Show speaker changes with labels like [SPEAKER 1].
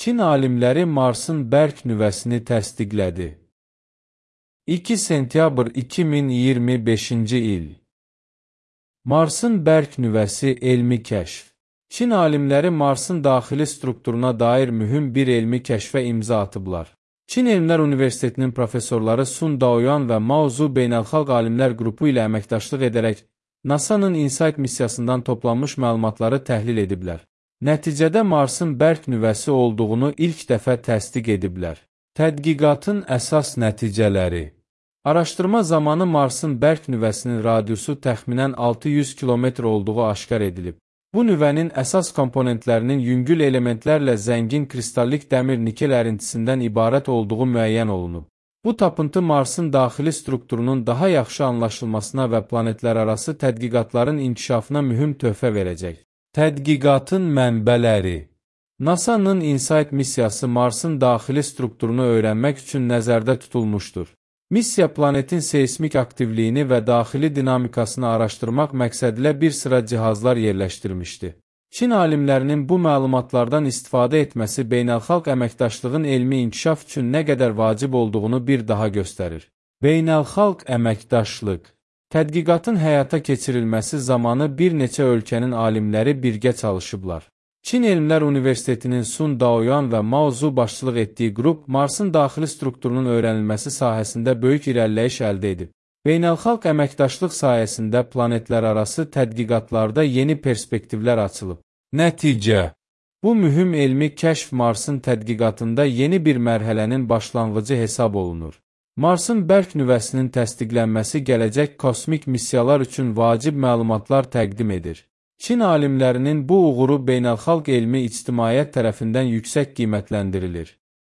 [SPEAKER 1] Çin alimləri Marsın bərk nüvəsini təsdiqlədi. 2 sentyabr 2025-ci il. Marsın bərk nüvəsi elmi kəşf. Çin alimləri Marsın daxili strukturuna dair mühüm bir elmi kəşfə imza atıblar. Çin Elmlər Universitetinin professorları Sun Daoyan və Mao Zhu Beynəlxalq Alimlər Qrupu ilə əməkdaşlıq edərək NASA-nın InSight missiyasından toplanmış məlumatları təhlil ediblər. Nəticədə Marsın bərk nüvəsi olduğunu ilk dəfə təsdiq ediblər. Tədqiqatın əsas nəticələri. Araşdırma zamanı Marsın bərk nüvəsinin radiusu təxminən 600 km olduğu aşkar edilib. Bu nüvənin əsas komponentlərinin yüngül elementlərlə zəngin kristallik dəmir-nikel ərintisindən ibarət olduğu müəyyən olunub. Bu tapıntı Marsın daxili strukturunun daha yaxşı anlaşılmasına və planetlərarası tədqiqatların inkişafına mühüm töhfə verəcək. Tədqiqatın mənbələri. NASA-nın InSight missiyası Marsın daxili strukturunu öyrənmək üçün nəzərdə tutulmuşdur. Missiya planetin seismik aktivliyini və daxili dinamikasını araşdırmaq məqsədilə bir sıra cihazlar yerləşdirmişdi. Çin alimlərinin bu məlumatlardan istifadə etməsi beynəlxalq əməkdaşlığın elmi inkişaf üçün nə qədər vacib olduğunu bir daha göstərir. Beynəlxalq əməkdaşlıq. Tədqiqatın həyata keçirilməsi zamanı bir neçə ölkənin alimləri birgə çalışıblar. Çin Elmlər Universitetinin Sun Daoyan və Mao Zhu başçılıq etdiyi qrup Marsın daxili strukturunun öyrənilməsi sahəsində böyük irəliləyiş əldə edib. Beynəlxalq əməkdaşlıq sayəsində planetlərarası tədqiqatlarda yeni perspektivlər açılıb. Nəticə. Bu mühüm elmi kəşf Marsın tədqiqatında yeni bir mərhələnin başlanğıcı hesab olunur. Marsın bərk nüvəsinin təsdiqlənməsi gələcək kosmik missiyalar üçün vacib məlumatlar təqdim edir. Çin alimlərinin bu uğuru beynəlxalq elmi ictimaiyyət tərəfindən yüksək qiymətləndirilir.